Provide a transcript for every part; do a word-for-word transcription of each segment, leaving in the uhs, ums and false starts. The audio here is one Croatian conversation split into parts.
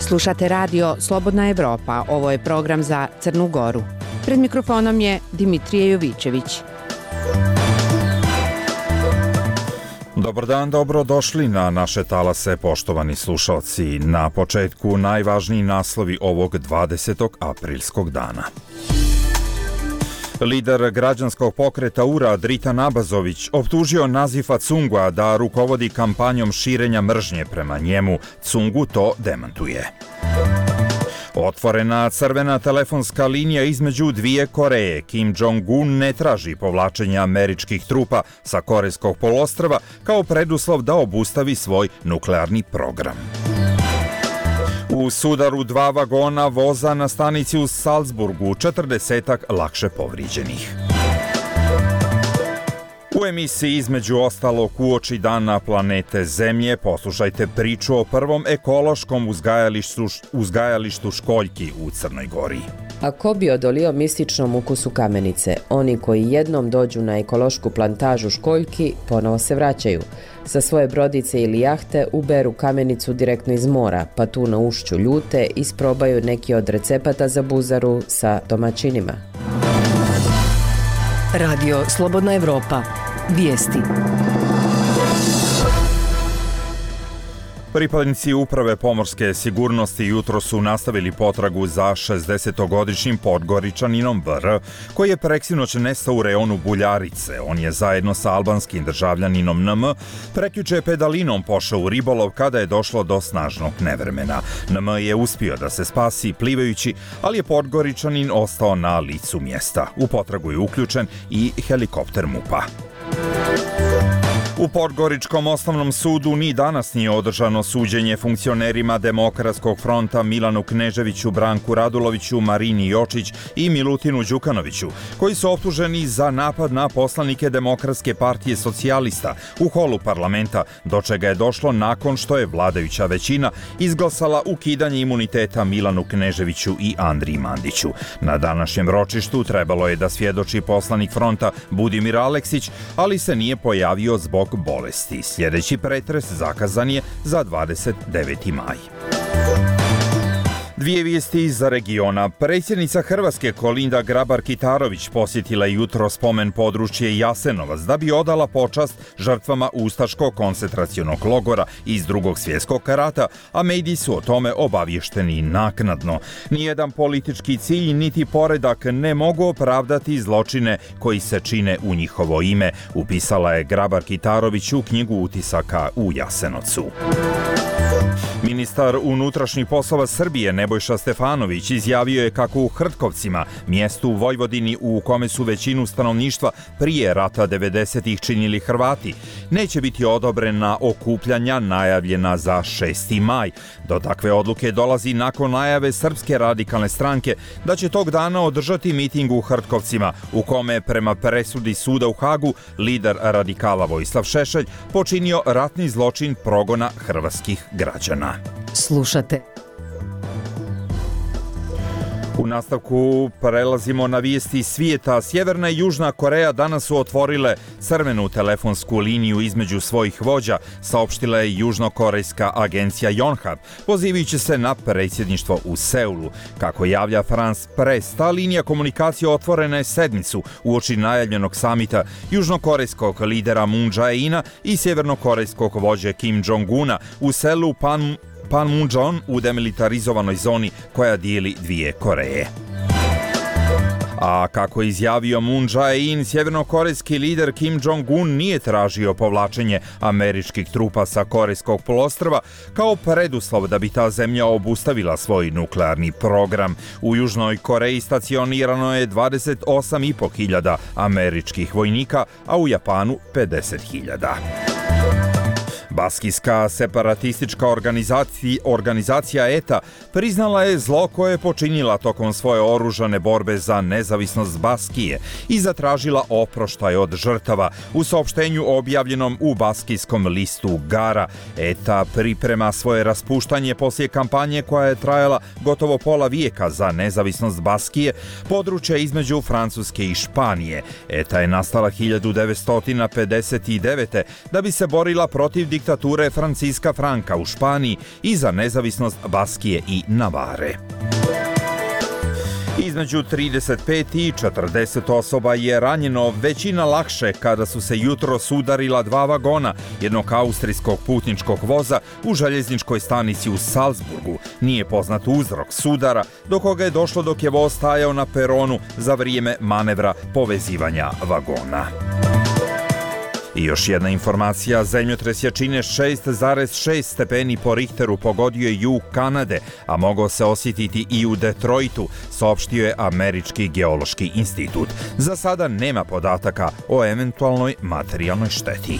Slušate radio Slobodna Evropa, ovo je program za Crnu Goru. Pred mikrofonom je Dimitrije Jovićević. Dobar dan, dobrodošli na naše talase, poštovani slušalci. Na početku najvažniji naslovi ovog dvadesetog aprilskog dana. Lider građanskog pokreta U R A Dritan Abazović optužio Nazifa Cungua da rukovodi kampanjom širenja mržnje prema njemu. Cungu to demantuje. Otvorena crvena telefonska linija između dvije Koreje. Kim Jong-un ne traži povlačenje američkih trupa sa Korejskog poluostrva kao preduslov da obustavi svoj nuklearni program. U sudaru dva vagona voza na stanici u Salzburgu četrdesetak lakše povrijeđenih. U emisiji između ostalog uoči dana planete Zemlje poslušajte priču o prvom ekološkom uzgajalištu, uzgajalištu školjki u Crnoj Gori. A ko bi odolio mističnom ukusu kamenice? Oni koji jednom dođu na ekološku plantažu školjki ponovo se vraćaju. Sa svoje brodice ili jahte uberu kamenicu direktno iz mora, pa tu na ušću ljute isprobaju neki od recepata za buzaru sa domaćinima. Radio Slobodna Evropa. Vijesti. Pripadnici Uprave pomorske sigurnosti jutro su nastavili potragu za šezdesetogodišnjim Podgoričaninom B R, koji je preksinoć nestao u reonu Buljarice. On je zajedno sa albanskim državljaninom N M prekjuče pedalinom pošao u ribolov kada je došlo do snažnog nevremena. N M je uspio da se spasi plivajući, ali je Podgoričanin ostao na licu mjesta. U potragu je uključen i helikopter MUP-a. U Podgoričkom osnovnom sudu ni danas nije održano suđenje funkcionerima Demokratskog fronta Milanu Kneževiću, Branku Raduloviću, Marini Jočić i Milutinu Đukanoviću, koji su optuženi za napad na poslanike Demokratske partije socijalista u holu parlamenta, do čega je došlo nakon što je vladajuća većina izglasala ukidanje imuniteta Milanu Kneževiću i Andriji Mandiću. Na današnjem ročištu trebalo je da svjedoči poslanik fronta Budimir Aleksić, ali se nije pojavio zbog bolesti. Sljedeći pretres zakazan je za dvadeset deveti maj. Dvije vijesti iz regiona. Predsjednica Hrvatske Kolinda Grabar-Kitarović posjetila jutro spomen područje Jasenovac da bi odala počast žrtvama ustaškog koncentracionog logora iz Drugog svjetskog rata, a mediji su o tome obavješteni naknadno. Nijedan politički cilj niti poredak ne mogu opravdati zločine koji se čine u njihovo ime, upisala je Grabar-Kitarović u knjigu utisaka u Jasenovcu. Ministar unutrašnjih poslova Srbije Nebojša Stefanović izjavio je kako u Hrtkovcima, mjestu u Vojvodini u kome su većinu stanovništva prije rata devedesetih činili Hrvati, neće biti odobrena okupljanja najavljena za šesti maj. Do takve odluke dolazi nakon najave Srpske radikalne stranke da će tog dana održati miting u Hrtkovcima, u kome prema presudi suda u Hagu lider radikala Vojislav Šešelj počinio ratni zločin progona hrvatskih građana. Slušate. U nastavku prelazimo na vijesti svijeta. Sjeverna i Južna Koreja danas su otvorile crvenu telefonsku liniju između svojih vođa, saopštila je južnokorejska agencija Yonhap, pozivajući se na predsjedništvo u Seulu. Kako javlja France Press, ta linija komunikacije otvorena je sedmicu uoči najavljenog samita južnokorejskog lidera Moon Jae-ina i sjevernokorejskog vođe Kim Jong-una u selu Pan Panmunjom u demilitarizovanoj zoni koja dijeli dvije Koreje. A kako je izjavio Moon Jae-in, sjevernokorejski lider Kim Jong-un nije tražio povlačenje američkih trupa sa Korejskog poluostrva kao preduslov da bi ta zemlja obustavila svoj nuklearni program. U Južnoj Koreji stacionirano je dvadeset osam i po hiljada američkih vojnika, a u Japanu pedeset hiljada. Baskijska separatistička organizacija, organizacija E T A priznala je zlo koje je počinila tokom svoje oružane borbe za nezavisnost Baskije i zatražila oproštaj od žrtava. U saopštenju objavljenom u baskijskom listu Gara, E T A priprema svoje raspuštanje poslije kampanje koja je trajala gotovo pola vijeka za nezavisnost Baskije, područja između Francuske i Španije. E T A je nastala hiljadu devetsto pedeset devete. da bi se borila protiv diktatura diktature Francisca Franka u Španiji i za nezavisnost Baskije i Navare. Između trideset pet i četrdeset osoba je ranjeno, većina lakše, kada su se jutro sudarila dva vagona jednog austrijskog putničkog voza u željezničkoj stanici u Salzburgu. Nije poznat uzrok sudara, do koga je došlo dok je voz stajao na peronu za vrijeme manevra povezivanja vagona. I još jedna informacija, zemljotres jačine šest zarez šest stepeni po Richteru pogodio je jug Kanade, a mogao se osjetiti i u Detroitu, saopštio je Američki geološki institut. Za sada nema podataka o eventualnoj materijalnoj šteti.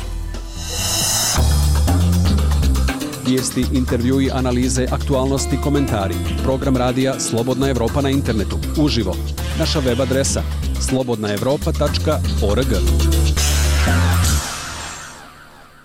Vijesti, intervjui, analize, aktualnosti, komentari. Program radija Slobodna Evropa na internetu. Uživo. Naša web adresa slobodna evropa tačka org.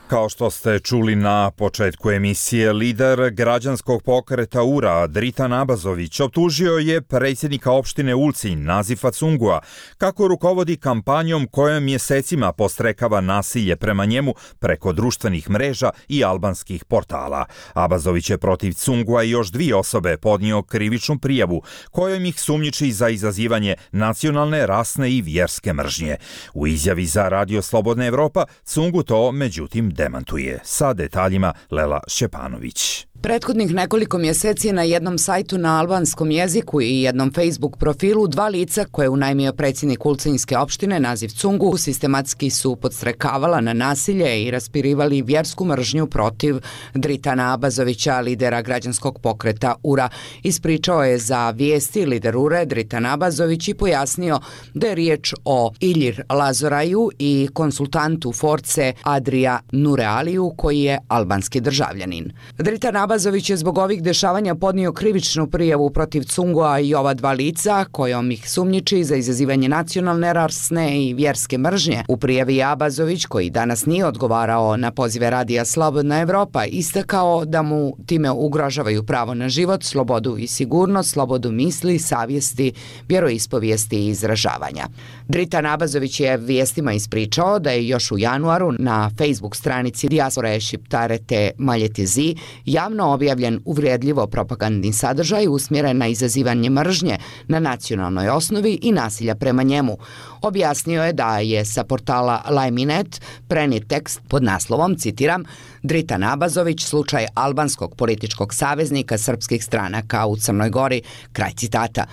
Kao što ste čuli na početku emisije, lider građanskog pokreta U R A Dritan Abazović optužio je predsjednika opštine Ulcinj Nazifa Cungua kako rukovodi kampanjom kojom mjesecima postrekava nasilje prema njemu preko društvenih mreža i albanskih portala. Abazović je protiv Cungua i još dvije osobe podnio krivičnu prijavu kojom ih sumnjiči za izazivanje nacionalne, rasne i vjerske mržnje. U izjavi za Radio Slobodna Evropa Cungu to međutim demantuje. Sa detaljima Lela Šćepanović. Prethodnih nekoliko mjeseci na jednom sajtu na albanskom jeziku i jednom Facebook profilu dva lica koje je unajmio predsjednik Ulcinjske opštine Naziv Cungu sistematski su podstrekavala na nasilje i raspirivali vjersku mržnju protiv Dritana Abazovića, lidera građanskog pokreta U R A. Ispričao je za vijesti lider U R A Dritan Abazović i pojasnio da je riječ o Ilir Lazoraju i konsultantu Force Adria Nurealiju koji je albanski državljanin. Dritan Abazović je zbog ovih dešavanja podnio krivičnu prijavu protiv Cungua i ova dva lica, kojom ih sumnjiči za izazivanje nacionalne, rasne i vjerske mržnje. U prijavi Abazović, koji danas nije odgovarao na pozive radija Slobodna Evropa, istakao da mu time ugrožavaju pravo na život, slobodu i sigurnost, slobodu misli, savjesti, vjeroispovijesti i izražavanja. Dritan Abazović je vijestima ispričao da je još u januaru na Facebook stranici Dijaspore Šiptarete Maljetezi javno objavljen uvrijedljivo propagandni sadržaj usmjeren na izazivanje mržnje na nacionalnoj osnovi i nasilja prema njemu. Objasnio je da je sa portala Lajminet prenijet tekst pod naslovom, citiram, Dritan Abazović, slučaj albanskog političkog saveznika srpskih stranaka u Crnoj Gori, kraj citata.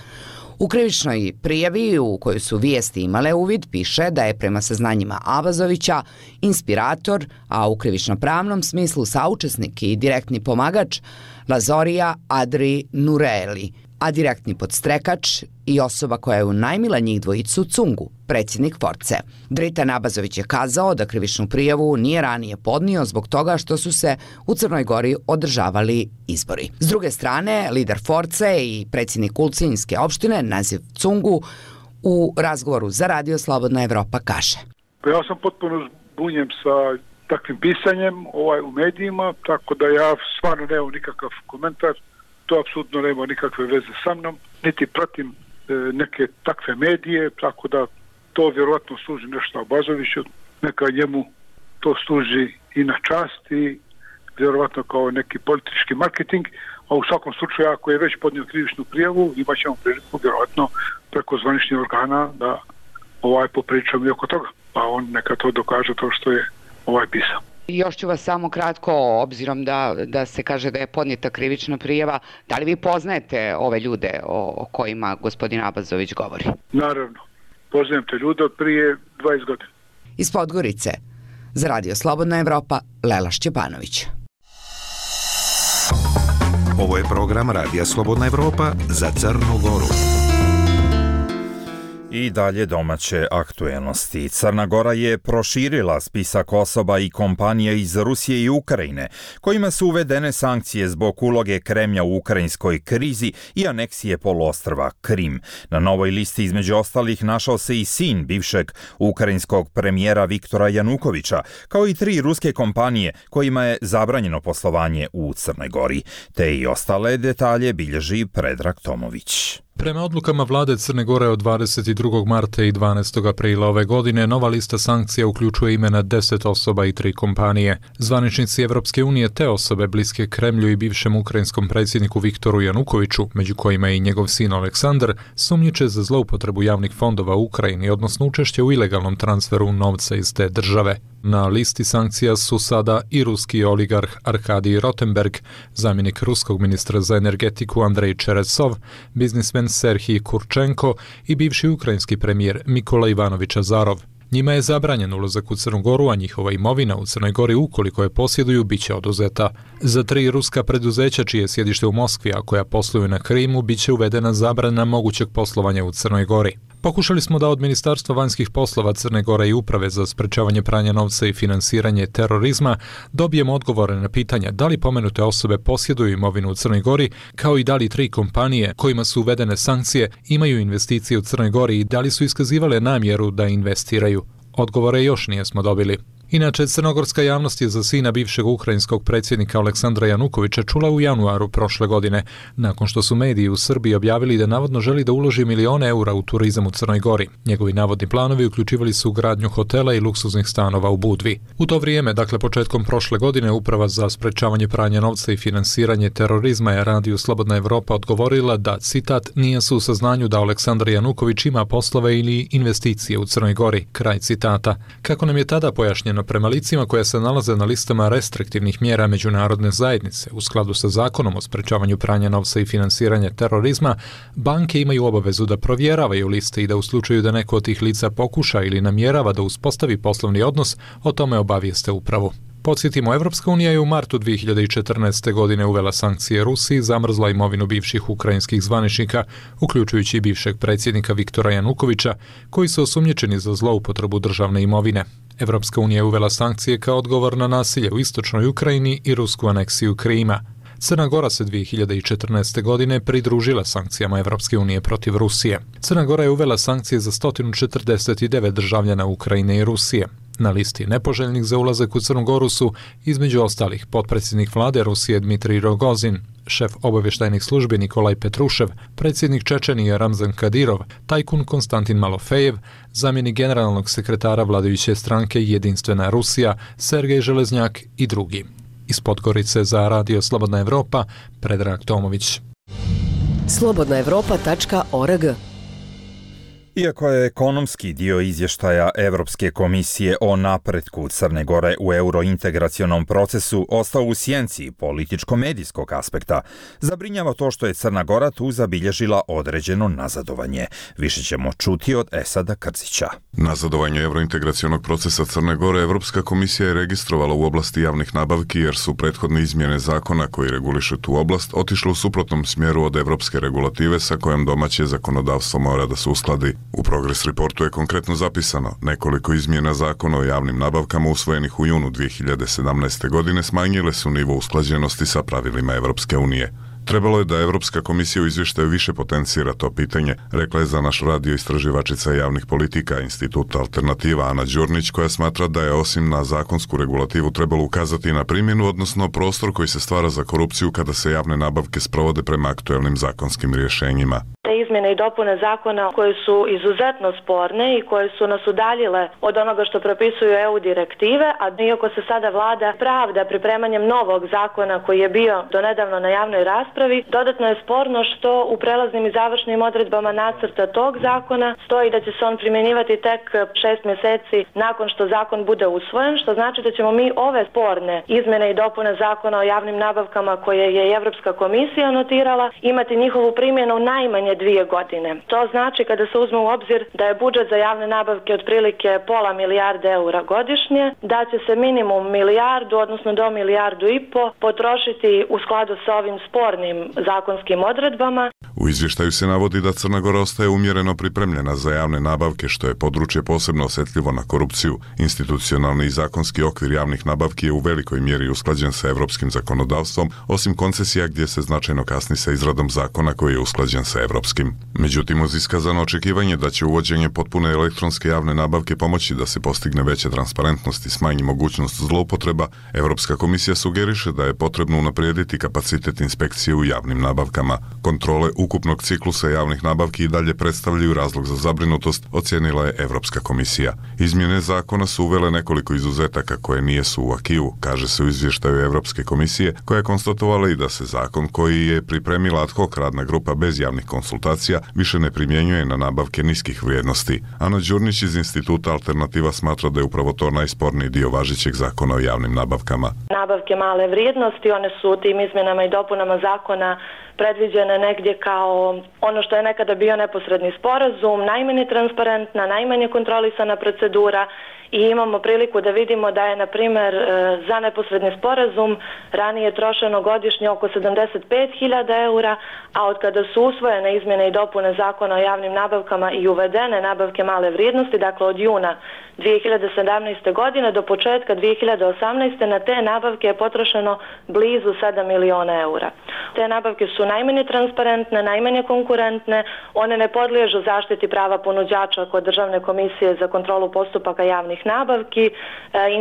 U krivičnoj prijavi u kojoj su vijesti imale uvid piše da je prema saznanjima Abazovića inspirator, a u krivično-pravnom smislu saučesnik i direktni pomagač Lazorija Adri Nureeli, a direktni podstrekač i osoba koja je unajmila njih dvojicu Cungu, predsjednik Force. Dritan Abazović je kazao da krivičnu prijavu nije ranije podnio zbog toga što su se u Crnoj Gori održavali izbori. S druge strane, lider Force i predsjednik Ulcinjske opštine Naziv Cungu u razgovoru za Radio Slobodna Evropa kaže. Ja sam potpuno zbunjen sa takvim pisanjem ovaj, u medijima, tako da ja stvarno nemam nikakav komentar. To apsolutno nema nikakve veze sa mnom, niti pratim e, neke takve medije, tako da to vjerojatno služi nešto Abazoviću, neka njemu to služi i na čast i vjerojatno kao neki politički marketing, a u svakom slučaju ako je već podnio krivičnu prijavu, imat ćemo priliku vjerojatno preko zvaničnih organa da ovaj popričamo i oko toga, pa on neka to dokaže to što je ovaj pisao. Još ću vas samo kratko, obzirom da, da se kaže da je podnijeta krivična prijava, da li vi poznajete ove ljude o, o kojima gospodin Abazović govori? Naravno, poznajem te ljude od prije dvadeset godina. Iz Podgorice, za Radio Slobodna Evropa, Lela Šćepanović. Ovo je program Radija Slobodna Evropa za Crnu Goru. I dalje domaće aktuelnosti. Crna Gora je proširila spisak osoba i kompanija iz Rusije i Ukrajine, kojima su uvedene sankcije zbog uloge Kremlja u ukrajinskoj krizi i aneksije poluostrva Krim. Na novoj listi između ostalih našao se i sin bivšeg ukrajinskog premijera Viktora Janukovića, kao i tri ruske kompanije kojima je zabranjeno poslovanje u Crnoj Gori. Te i ostale detalje bilježi Predrag Tomović. Prema odlukama vlade Crne Gore od dvadeset drugog marta i dvanaestog aprila ove godine, nova lista sankcija uključuje imena deset osoba i tri kompanije. Zvaničnici Evropske unije te osobe bliske Kremlju i bivšem ukrajinskom predsjedniku Viktoru Janukoviću, među kojima je i njegov sin Aleksandar, sumnjiče za zloupotrebu javnih fondova u Ukrajini, odnosno učešće u ilegalnom transferu novca iz te države. Na listi sankcija su sada i ruski oligarh Arkadij Rotenberg, zamjenik ruskog ministra za energetiku Andrej Čeresov, biznismen Serhij Kurčenko i bivši ukrajinski premijer Mikola Ivanović Azarov. Njima je zabranjen ulazak u Crnu Goru, a njihova imovina u Crnoj Gori, ukoliko je posjeduju, bit će oduzeta. Za tri ruska preduzeća čije je sjedište u Moskvi, a koja posluju na Krimu, bit će uvedena zabrana mogućeg poslovanja u Crnoj Gori. Pokušali smo da od Ministarstva vanjskih poslova Crne Gore i Uprave za sprečavanje pranja novca i finansiranje terorizma dobijemo odgovore na pitanja da li pomenute osobe posjeduju imovinu u Crnoj Gori, kao i da li tri kompanije kojima su uvedene sankcije imaju investicije u Crnoj Gori i da li su iskazivale namjeru da investiraju. Odgovore još nijesmo dobili. Inače, crnogorska javnost je za sina bivšeg ukrajinskog predsjednika Aleksandra Janukovića čula u januaru prošle godine, nakon što su mediji u Srbiji objavili da navodno želi da uloži milione eura u turizam u Crnoj Gori. Njegovi navodni planovi uključivali su gradnju hotela i luksuznih stanova u Budvi. U to vrijeme, dakle početkom prošle godine, Uprava za sprečavanje pranja novca i finansiranje terorizma je radiju Slobodna Evropa odgovorila da, citat, nije su u saznanju da Aleksandar Januković ima poslove ili investicije u Crnoj Gori, kraj citata. Kako nam je tada pojašnjeno, prema licima koja se nalaze na listama restriktivnih mjera međunarodne zajednice u skladu sa zakonom o sprečavanju pranja novca i finansiranja terorizma, banke imaju obavezu da provjeravaju liste i da u slučaju da neko od tih lica pokuša ili namjerava da uspostavi poslovni odnos, o tome obavijeste upravu. Podsjetimo, Evropska unija je u martu dvije hiljade četrnaeste. godine uvela sankcije Rusiji, zamrzla imovinu bivših ukrajinskih zvaničnika, uključujući i bivšeg predsjednika Viktora Janukovića, koji su osumnjičeni za zloupotrebu državne imovine. Evropska unija je uvela sankcije kao odgovor na nasilje u istočnoj Ukrajini i rusku aneksiju Krima. Crna Gora se dvije hiljade četrnaeste. godine pridružila sankcijama Evropske unije protiv Rusije. Crna Gora je uvela sankcije za sto četrdeset devet državljana Ukrajine i Rusije. Na listi nepoželjnih za ulazak u Crnu Goru su, između ostalih, potpredsjednik vlade Rusije Dmitrij Rogozin, šef obavještajnih službi Nikolaj Petrušev, predsjednik Čečenije Ramzan Kadirov, tajkun Konstantin Malofejev, zamjenik generalnog sekretara vladajuće stranke Jedinstvena Rusija Sergej Železnjak i drugi. Iz Podgorice za Radio Slobodna Evropa, Predrag Tomović. slobodna evropa tačka org. Iako je ekonomski dio izvještaja Evropske komisije o napretku Crne Gore u eurointegracionom procesu ostao u sjenci političko-medijskog aspekta, zabrinjava to što je Crna Gora tu zabilježila određeno nazadovanje. Više ćemo čuti od Esada Krzića. Nazadovanje eurointegracionog procesa Crne Gore Evropska komisija je registrovala u oblasti javnih nabavki jer su prethodne izmjene zakona koji regulišu tu oblast otišle u suprotnom smjeru od evropske regulative sa kojom domaće zakonodavstvo mora da se uskladi. U Progress Reportu je konkretno zapisano nekoliko izmjena zakona o javnim nabavkama usvojenih u junu dvije hiljade sedamnaeste. godine smanjile su nivo usklađenosti sa pravilima Evropske unije. Trebalo je da Evropska komisija u izvještaju više potencira to pitanje, rekla je za naš radio istraživačica javnih politika Instituta Alternativa Ana Đurnić, koja smatra da je osim na zakonsku regulativu trebalo ukazati na primjenu, odnosno prostor koji se stvara za korupciju kada se javne nabavke sprovode prema aktuelnim zakonskim rješenjima. Te izmjene i dopune zakona koje su izuzetno sporne i koje su nas udaljile od onoga što propisuju E U direktive, a iako se sada vlada pravda pripremanjem novog zakona koji je bio donedavno na javnoj raspravi, dodatno je sporno što u prelaznim i završnim odredbama nacrta tog zakona stoji da će se on primjenjivati tek šest mjeseci nakon što zakon bude usvojen, što znači da ćemo mi ove sporne izmjene i dopune zakona o javnim nabavkama koje je i Evropska komisija notirala imati njihovu primjenu najmanje dvije godine. To znači, kada se uzme u obzir da je budžet za javne nabavke otprilike pola milijarde eura godišnje, da će se minimum milijardu, odnosno do milijardu i po potrošiti u skladu sa ovim spornim zakonskim odredbama. U izvještaju se navodi da Crna Gora ostaje umjereno pripremljena za javne nabavke, što je područje posebno osjetljivo na korupciju. Institucionalni i zakonski okvir javnih nabavki je u velikoj mjeri usklađen sa evropskim zakonodavstvom, osim koncesija gdje se značajno kasni sa izradom zakona koji je usklađen sa evropskim. Međutim, uz iskazano očekivanje da će uvođenje potpune elektronske javne nabavke pomoći da se postigne veća transparentnost i smanji mogućnost zloupotreba, Evropska komisija sugeriše da je potrebno unaprijediti kapacitet inspekcije u javnim nabavkama. Kontrole u ukupnog ciklusa javnih nabavki i dalje predstavljaju razlog za zabrinutost, ocijenila je Evropska komisija. Izmjene zakona su uvele nekoliko izuzetaka koje nije su u akiju, kaže se u izvještaju Evropske komisije, koja je konstatovala i da se zakon koji je pripremila ad hoc radna grupa bez javnih konsultacija više ne primjenjuje na nabavke niskih vrijednosti. Ana Đurnić iz Instituta Alternativa smatra da je upravo to najsporniji dio važećeg zakona o javnim nabavkama. Nabavke male vrijednosti, one su tim izmjenama i dopunama zakona predviđene negdje kao ono što je nekada bio neposredni sporazum, najmanje transparentna, najmanje kontrolisana procedura i imamo priliku da vidimo da je, na primjer, za neposredni sporazum ranije trošeno godišnje oko sedamdeset pet hiljada eura, a od kada su usvojene izmjene i dopune zakona o javnim nabavkama i uvedene nabavke male vrijednosti, dakle od juna dvije hiljade sedamnaeste. godine do početka dvije hiljade osamnaeste. na te nabavke je potrošeno blizu sedam miliona eura. Te nabavke su najmanje transparentne, najmanje konkurentne, one ne podliježu zaštiti prava ponuđača kod Državne komisije za kontrolu postupaka javnih nabavki, e,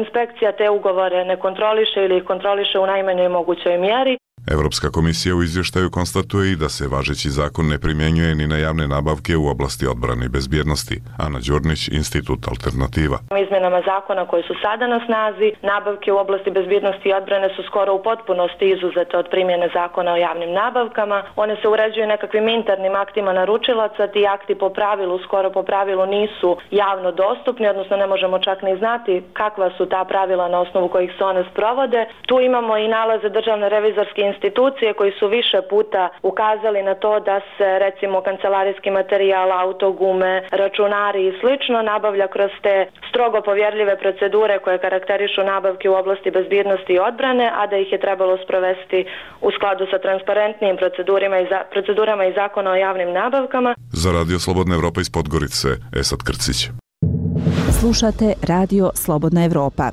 inspekcija te ugovore ne kontroliše ili ih kontroliše u najmanjoj mogućoj mjeri. Evropska komisija u izvještaju konstatuje i da se važeći zakon ne primjenjuje ni na javne nabavke u oblasti odbrane i bezbjednosti. Ana Đurnić, Institut Alternativa. Izmjenama zakona koji su sada na snazi, nabavke u oblasti bezbjednosti i odbrane su skoro u potpunosti izuzete od primjene zakona o javnim nabavkama. One se uređuju nekakvim internim aktima naručilaca, ti akti po pravilu, skoro po pravilu nisu javno dostupni, odnosno ne možemo čak ni znati kakva su ta pravila na osnovu kojih se one sprovode. Tu imamo i nalaze Državne revizorske institucije koji su više puta ukazali na to da se, recimo, kancelarijski materijal, autogume, računari i slično nabavlja kroz te strogo povjerljive procedure koje karakterišu nabavke u oblasti bezbjednosti i odbrane, a da ih je trebalo sprovesti u skladu sa transparentnim procedurama i, za, procedurama i zakona o javnim nabavkama. Za Radio Slobodna Evropa iz Podgorice, Esad Krcić. Slušate Radio Slobodna Evropa.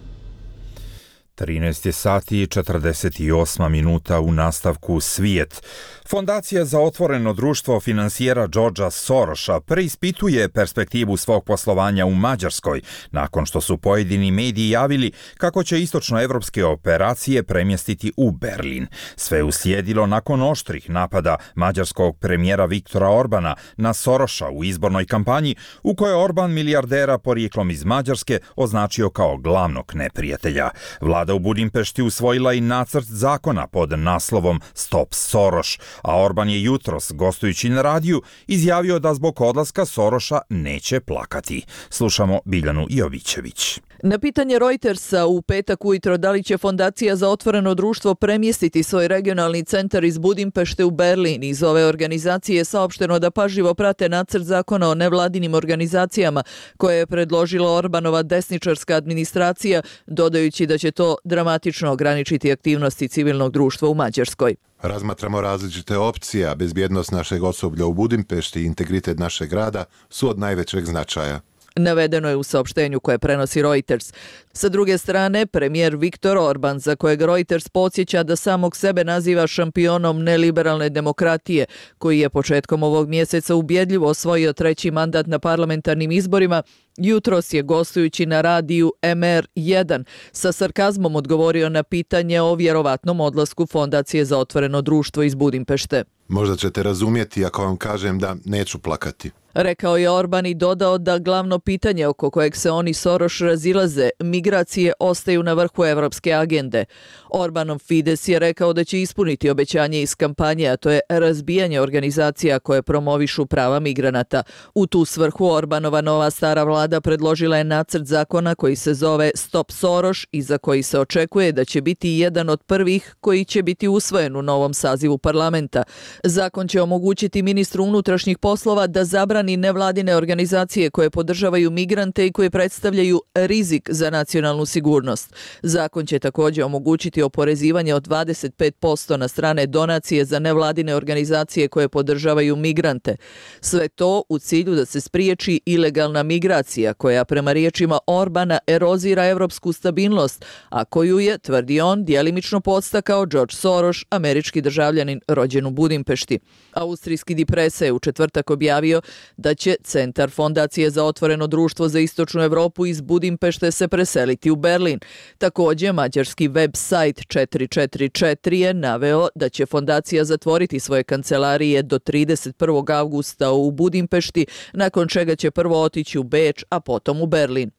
trinaest sati i četrdeset osam minuta u nastavku Svijet. Fondacija za otvoreno društvo finansijera Georgea Sorosa preispituje perspektivu svog poslovanja u Mađarskoj, nakon što su pojedini mediji javili kako će istočnoevropske operacije premjestiti u Berlin. Sve uslijedilo nakon oštrih napada mađarskog premijera Viktora Orbana na Sorosa u izbornoj kampanji, u kojoj Orban milijardera porijeklom iz Mađarske označio kao glavnog neprijatelja. Vlada u Budimpešti usvojila i nacrt zakona pod naslovom Stop Soros, a Orban je jutros, gostujući na radiju, izjavio da zbog odlaska Sorosa neće plakati. Slušamo Biljanu Jovićević. Na pitanje Reutersa u petak ujutro da li će Fondacija za otvoreno društvo premjestiti svoj regionalni centar iz Budimpešte u Berlin, iz ove organizacije je saopšteno da pažljivo prate nacrt zakona o nevladinim organizacijama koje je predložila Orbanova desničarska administracija, dodajući da će to dramatično ograničiti aktivnosti civilnog društva u Mađarskoj. Razmatramo različite opcije, a bezbjednost našeg osoblja u Budimpešti i integritet našeg grada su od najvećeg značaja. Navedeno je u saopštenju koje prenosi Reuters. Sa druge strane, premijer Viktor Orban, za kojeg Reuters podsjeća da samog sebe naziva šampionom neliberalne demokratije, koji je početkom ovog mjeseca ubjedljivo osvojio treći mandat na parlamentarnim izborima, jutros je, gostujući na radiju M R jedan, sa sarkazmom odgovorio na pitanje o vjerovatnom odlasku Fondacije za otvoreno društvo iz Budimpešte. Možda ćete razumjeti ako vam kažem da neću plakati. Rekao je Orban i dodao da glavno pitanje oko kojeg se oni Soros razilaze, migracije, ostaju na vrhu evropske agende. Orbanov Fides je rekao da će ispuniti obećanje iz kampanje, a to je razbijanje organizacija koje promovišu prava migranata. U tu svrhu Orbanova nova stara vlada predložila je nacrt zakona koji se zove Stop Soros i za koji se očekuje da će biti jedan od prvih koji će biti usvojen u novom sazivu parlamenta. Zakon će omogućiti ministru unutrašnjih poslova da zabrani nevladine organizacije koje podržavaju migrante i koje predstavljaju rizik za nacionalnu sigurnost. Zakon će također omogućiti oporezivanje od dvadeset pet posto na strane donacije za nevladine organizacije koje podržavaju migrante. Sve to u cilju da se spriječi ilegalna migracija koja prema riječima Orbana erozira evropsku stabilnost, a koju je, tvrdi on, djelimično podstakao George Soros, američki državljanin rođen u Budimpešti. Austrijski Die Presse je u četvrtak objavio da će Centar Fondacije za otvoreno društvo za istočnu Evropu iz Budimpešte se preseliti u Berlin. Također, mađarski web sajt četiri četiri četiri je naveo da će fondacija zatvoriti svoje kancelarije do trideset prvog avgusta u Budimpešti, nakon čega će prvo otići u Beč, a potom u Berlin.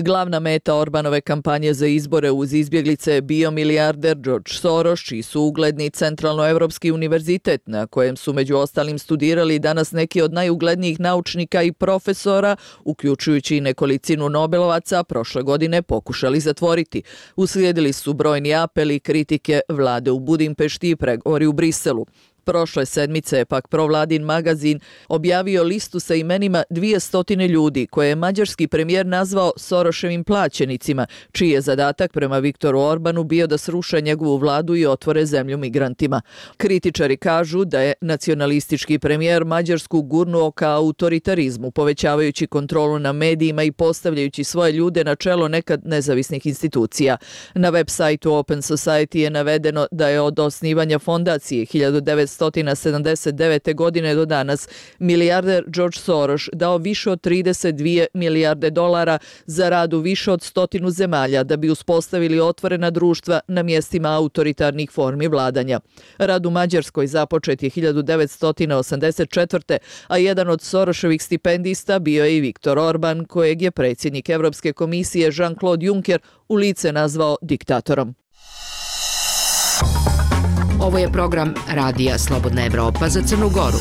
Glavna meta Orbanove kampanje za izbore uz izbjeglice je bio milijarder George Soros, čiji su ugledni Centralnoevropski univerzitet, na kojem su među ostalim studirali danas neki od najuglednijih naučnika i profesora, uključujući i nekolicinu Nobelovaca, prošle godine pokušali zatvoriti. Uslijedili su brojni apeli, kritike vlade u Budimpešti i pregovori u Briselu. Prošle sedmice je pak provladin magazin objavio listu sa imenima dvjesto ljudi koje je mađarski premijer nazvao Soroševim plaćenicima, čiji je zadatak prema Viktoru Orbanu bio da sruše njegovu vladu i otvore zemlju migrantima. Kritičari kažu da je nacionalistički premijer Mađarsku gurnuo ka autoritarizmu, povećavajući kontrolu na medijima i postavljajući svoje ljude na čelo nekad nezavisnih institucija. Na web sajtu Open Society je navedeno da je od osnivanja fondacije hiljadu devetsto sedamdeset devete. godine do danas milijarder George Soros dao više od trideset dvije milijarde dolara za rad u više od stotinu zemalja da bi uspostavili otvorena društva na mjestima autoritarnih formi vladanja. Rad u Mađarskoj započet je hiljadu devetsto osamdeset četvrte. a jedan od Soroševih stipendista bio je i Viktor Orban, kojeg je predsjednik Evropske komisije Jean-Claude Juncker u lice nazvao diktatorom. Ovo je program Radija Slobodna Evropa za Crnu Goru.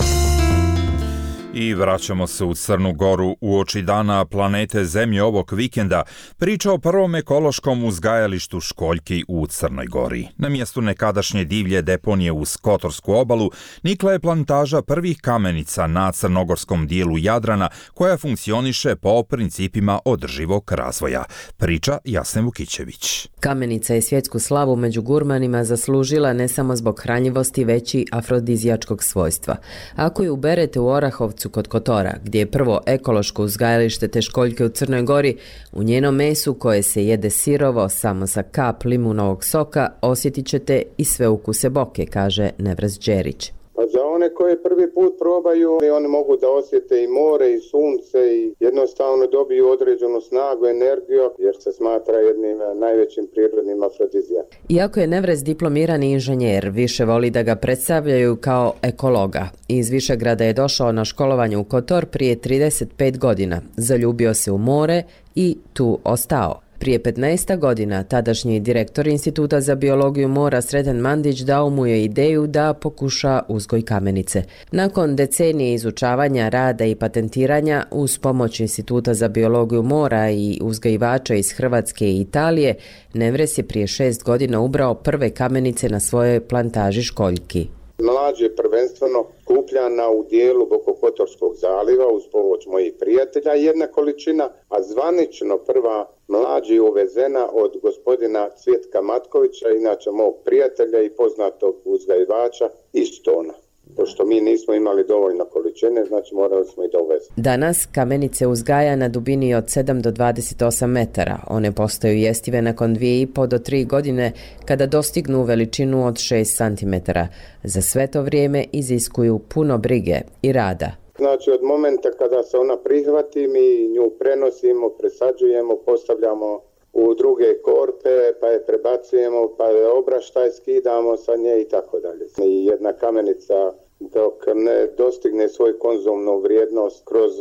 I vraćamo se u Crnu Goru uoči dana planete Zemlje ovog vikenda. Priča o prvom ekološkom uzgajalištu školjki u Crnoj Gori. Na mjestu nekadašnje divlje deponije uz Kotorsku obalu nikla je plantaža prvih kamenica na crnogorskom dijelu Jadrana koja funkcioniše po principima održivog razvoja. Priča Jasne Vukićević. Kamenica je svjetsku slavu među gurmanima zaslužila ne samo zbog hranjivosti, već i afrodizijačkog svojstva. Ako ju uberete u Orahovcu kod Kotora, gdje je prvo ekološko uzgajalište te školjke u Crnoj Gori, u njenom mesu koje se jede sirovo samo sa kap limunovog soka osjetit ćete i sve ukuse boke, kaže Nevres Đerić. Pa za one koje prvi put probaju, oni mogu da osjete i more i sunce i jednostavno dobiju određenu snagu, energiju, jer se smatra jednim najvećim prirodnim afrodizijakom. Iako je Nevres diplomirani inženjer, više voli da ga predstavljaju kao ekologa. Iz Višegrada je došao na školovanje u Kotor prije trideset pet godina, zaljubio se u more i tu ostao. Prije petnaest godina tadašnji direktor Instituta za biologiju mora Sreten Mandić dao mu je ideju da pokuša uzgoj kamenice. Nakon decenije izučavanja, rada i patentiranja uz pomoć Instituta za biologiju mora i uzgajivača iz Hrvatske i Italije, Nevres je prije šest godina ubrao prve kamenice na svojoj plantaži školjki. Mlađ je prvenstveno kupljana u dijelu Bokokotorskog zaliva uz pomoć mojih prijatelja jedna količina, a zvanično prva mlađ je uvezena od gospodina Cvjetka Matkovića, inače mog prijatelja i poznatog uzgajivača iz Stona. Pošto mi nismo imali dovoljno količine, znači morali smo i da uvezemo. Danas kamenice uzgaja na dubini od sedam do dvadeset osam metara. One postaju jestive nakon dvije i po do tri godine kada dostignu veličinu od šest centimetara. Za sve to vrijeme iziskuju puno brige i rada. Znači od momenta kada se ona prihvati, mi nju prenosimo, presađujemo, postavljamo u druge korpe, pa je prebacujemo, pa je obraštaj skidamo sa nje i tako dalje. I jedna kamenica dok ne dostigne svoju konzumnu vrijednost kroz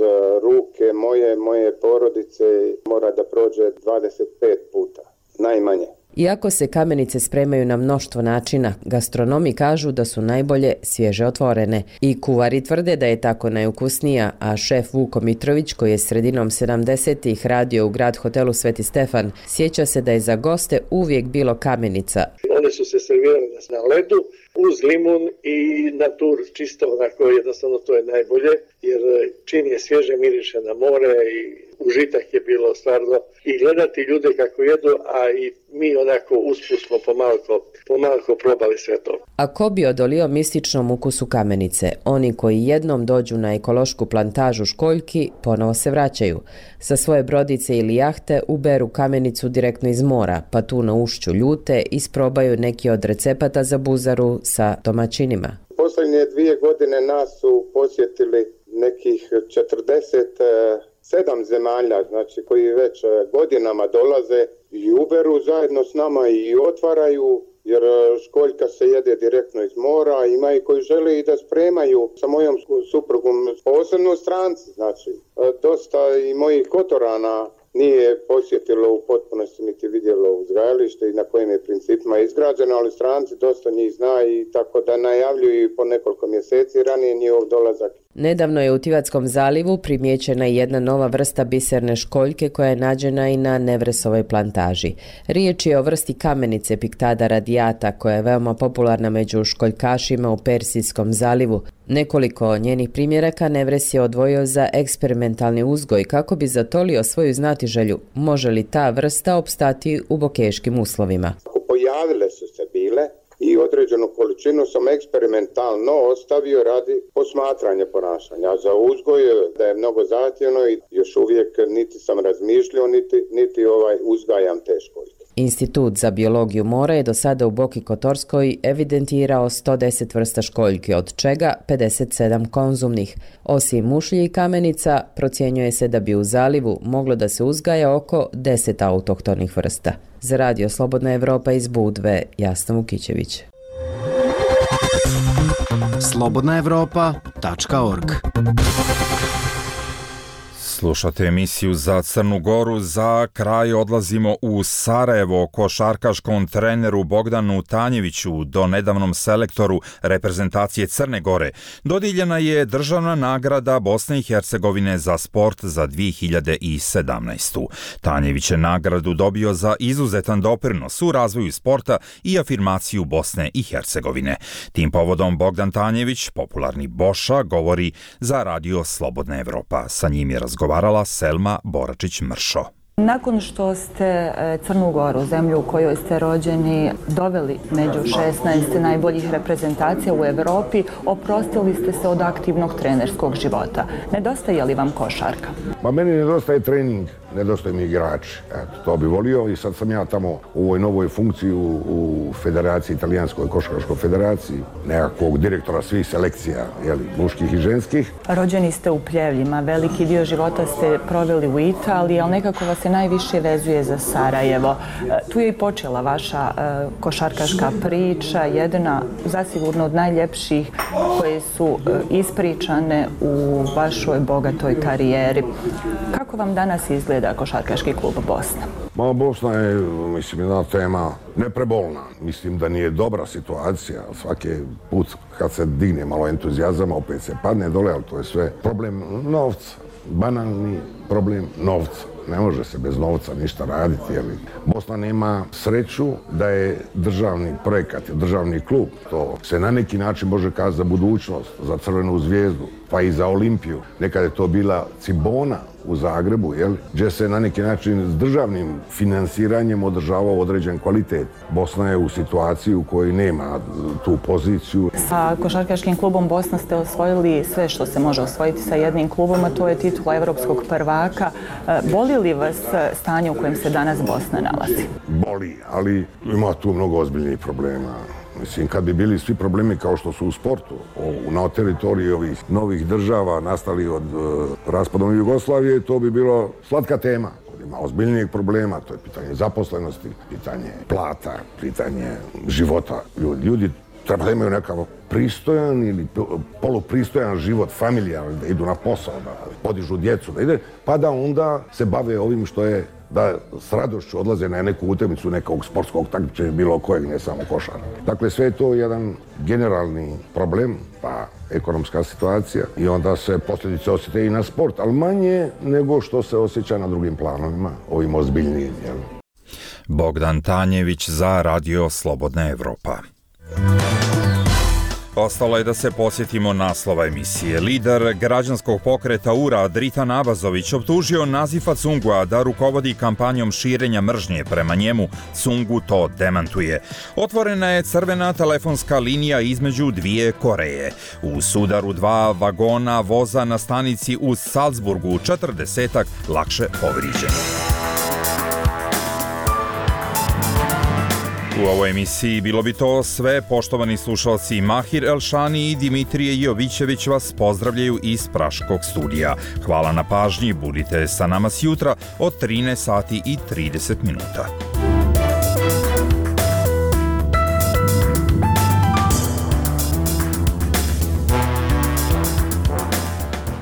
ruke moje, moje porodice, mora da prođe dvadeset pet puta, najmanje. Iako se kamenice spremaju na mnoštvo načina, gastronomi kažu da su najbolje svježe otvorene. I kuvari tvrde da je tako najukusnija, a šef Vuko Mitrović, koji je sredinom sedamdesetih radio u grad hotelu Sveti Stefan, sjeća se da je za goste uvijek bilo kamenica. One su se servirane na ledu, uz limun i natur čisto, onako jednostavno to je najbolje, jer čim je svježe miriše na more i užitak je bilo stvarno i gledati ljude kako jedu, a i mi onako usput smo pomalko, pomalko probali sve to. A ko bi odolio mističnom ukusu kamenice? Oni koji jednom dođu na ekološku plantažu školjki ponovo se vraćaju. Sa svoje brodice ili jahte uberu kamenicu direktno iz mora, pa tu na ušću ljute isprobaju neki od recepata za buzaru sa domaćinima. posljednje dvije godine nas su posjetili nekih četrdeset sedam zemalja, znači koji već godinama dolaze i uberu zajedno s nama i otvaraju, jer školjka se jede direktno iz mora, ima i koji žele i da spremaju sa mojom suprugom, posebno stranci, znači dosta i mojih Kotorana nije posjetilo u potpunosti niti vidjelo uzgajalište i na kojim je principima izgrađeno, ali stranci dosta njih zna i tako da najavljuju po nekoliko mjeseci ranije njihov dolazak. Nedavno je u Tivatskom zalivu primijećena jedna nova vrsta biserne školjke koja je nađena i na Nevresovoj plantaži. Riječ je o vrsti kamenice Pictada radiata koja je veoma popularna među školjkašima u Persijskom zalivu. Nekoliko njenih primjeraka Nevres je odvojio za eksperimentalni uzgoj kako bi zatolio svoju znatiželju. Može li ta vrsta opstati u bokeškim uslovima? Pojavile su se bile i određenu količinu sam eksperimentalno ostavio radi posmatranja ponašanja. Za uzgoj da je mnogo zahtjevno i još uvijek niti sam razmišljao, niti, niti ovaj uzgajam te školjke. Institut za biologiju mora je do sada u Boki Kotorskoj evidentirao sto deset vrsta školjki, od čega pedeset sedam konzumnih. Osim mušlji i kamenica, procjenjuje se da bi u zalivu moglo da se uzgaja oko deset autohtonih vrsta. Za Radio Slobodna Evropa iz Budve, Jasna Vukićević. slobodna evropa tačka org. Slušate emisiju za Crnu Goru. Za kraj odlazimo u Sarajevo. Košarkaškom treneru Bogdanu Tanjeviću, do nedavnom selektoru reprezentacije Crne Gore, dodijeljena je državna nagrada Bosne i Hercegovine za sport za dvije hiljade sedamnaestu. Tanjević je nagradu dobio za izuzetan doprinos u razvoju sporta i afirmaciju Bosne i Hercegovine. Tim povodom Bogdan Tanjević, popularni Boša, govori za Radio Slobodna Evropa. Sa njim je razgovarala Selma Boračić-Mršo. Nakon što ste Crnu Goru, zemlju u kojoj ste rođeni, doveli među šesnaest najboljih reprezentacija u Evropi, oprostili ste se od aktivnog trenerskog života. Nedostaje li vam košarka? Pa meni nedostaje trening, nedostaje mi igrači. Eto, to bi volio i sad sam ja tamo u ovoj novoj funkciji u, u Federaciji, Italijanskoj košarkaškoj federaciji, nekakvog direktora svih selekcija, jeli, muških i ženskih. Rođeni ste u Pljevljima, veliki dio života ste proveli u Italiji, ali nekako vas se najviše vezuje za Sarajevo. Tu je i počela vaša uh, košarkaška priča, jedna zasigurno od najljepših koje su uh, ispričane u vašoj bogatoj karijeri. Kako vam danas izgleda košarkaški klub Bosna? Ma, Bosna je, mislim, jedna tema neprebolna. Mislim da nije dobra situacija. Svaki put kad se digne malo entuzijazama, opet se padne dole, ali to je sve problem novca. Banalni problem novca. Ne može se bez novca ništa raditi. Jeli. Bosna nema sreću da je državni projekat, državni klub. To se na neki način može kazati za budućnost, za Crvenu zvijezdu, pa i za Olimpiju. Nekad je to bila Cibona u Zagrebu, jel? Gdje se na neki način s državnim finansiranjem održavao određen kvalitet. Bosna je u situaciji u kojoj nema tu poziciju. Sa košarkaškim klubom Bosna ste osvojili sve što se može osvojiti sa jednim klubom, a to je titula evropskog prvaka. Boli li vas stanje u kojem se danas Bosna nalazi? Boli, ali ima tu mnogo ozbiljnih problema. Mislim, kad bi bili svi problemi kao što su u sportu, na teritoriji ovih novih država nastali od uh, raspadom Jugoslavije, to bi bilo slatka tema. Ima ozbiljnijeg problema, to je pitanje zaposlenosti, pitanje plata, pitanje života. Ljudi, ljudi treba da imaju nekakav pristojan ili polupristojan život, familijarni, da idu na posao, da podižu djecu, da ide, pa da onda se bave ovim što je da s radošću odlaze na neku utakmicu nekog sportskog takmičenja, bilo kojeg, ne samo košara. Dakle, sve je to jedan generalni problem, pa ekonomska situacija i onda se posljedice osjete i na sport, ali manje nego što se osjeća na drugim planovima, ovim ozbiljnijim. Jel? Bogdan Tanjević za Radio Slobodna Evropa. Ostalo je da se posjetimo naslova emisije. Lider građanskog pokreta U R A Dritan Abazović optužio Nazifa Cungua da rukovodi kampanjom širenja mržnje prema njemu. Cungu to demantuje. Otvorena je crvena telefonska linija između dvije Koreje. U sudaru dva vagona voza na stanici u Salzburgu četrdesetak lakše povrijeđenih. U ovoj emisiji bilo bi to sve. Poštovani slušalci, Mahir Elšani i Dimitrije Jovićević vas pozdravljaju iz Praškog studija. Hvala na pažnji, budite sa nama sjutra od trinaest sati i trideset minuta.